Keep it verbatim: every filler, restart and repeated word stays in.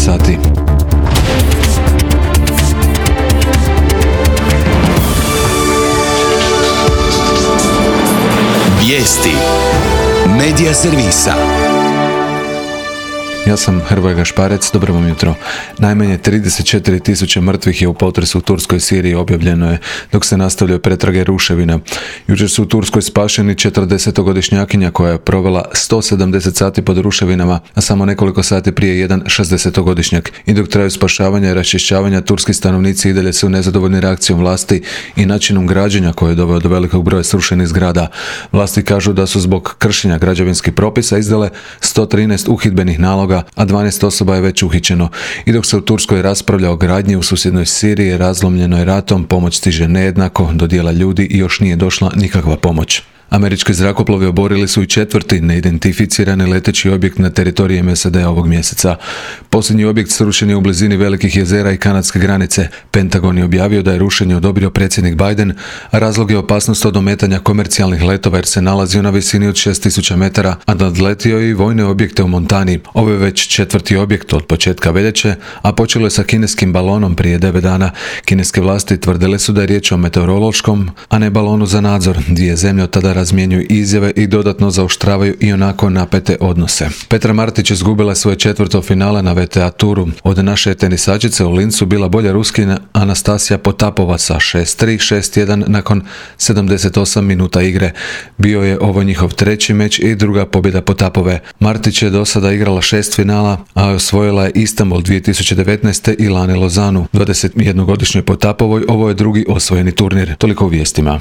sati. Vijesti Medija servisa. Ja sam Hrvoje Gašparec, dobro vam jutro. Najmanje trideset četiri tisuće mrtvih je u potresu u Turskoj i Siriji, objavljeno je dok se nastavljaju pretrage ruševina. Jučer su u Turskoj spašeni četrdesetogodišnjakinja koja je provela sto sedamdeset sati pod ruševinama, a samo nekoliko sati prije jedan šezdesetogodišnjak. I dok traju spašavanja i raščišćavanja, turski stanovnici i dalje su nezadovoljni reakcijom vlasti i načinom građenja koje je doveo do velikog broja srušenih zgrada. Vlasti kažu da su zbog kršenja građevinskih propisa izdale sto trinaest uhidbenih naloga, a dvanaest osoba je već uhićeno. I dok se u Turskoj raspravlja o gradnji u susjednoj Siriji, razlomljenoj ratom, pomoć stiže nejednako do dijela ljudi i još nije došla nikakva pomoć. Američki zrakoplovi oborili su i četvrti neidentificirani leteći objekt na teritoriju S A D-a ovog mjeseca. Posljednji objekt srušen je u blizini velikih jezera i kanadske granice. Pentagon je objavio da je rušenje odobrio predsjednik Biden, a razlog je opasnost od ometanja komercijalnih letova jer se nalazio na visini od šest tisuća metara, a nadletio je i vojne objekte u Montani. Ovo je već četvrti objekt od početka veljače, a počelo je sa kineskim balonom prije devet dana. Kineske vlasti tvrdile su da je riječ o meteorološkom, a ne balonu za nadzor. Dvije zemlje od tada razmjenjuju izjave i dodatno zaoštravaju i onako napete odnose. Petra Martić izgubila svoje četvrto finale na V T A turu. Od naše tenisačice u Lincu bila bolja Ruskinja Anastasija Potapova sa šest tri šest jedan nakon sedamdeset osam minuta igre. Bio je ovo njihov treći meč i druga pobjeda Potapove. Martić je do sada igrala šest finala, a osvojila je Istanbul dvije tisuće devetnaeste i lani Lozanu. dvadesetjednogodišnjoj Potapovoj ovo je drugi osvojeni turnir. Toliko u vijestima.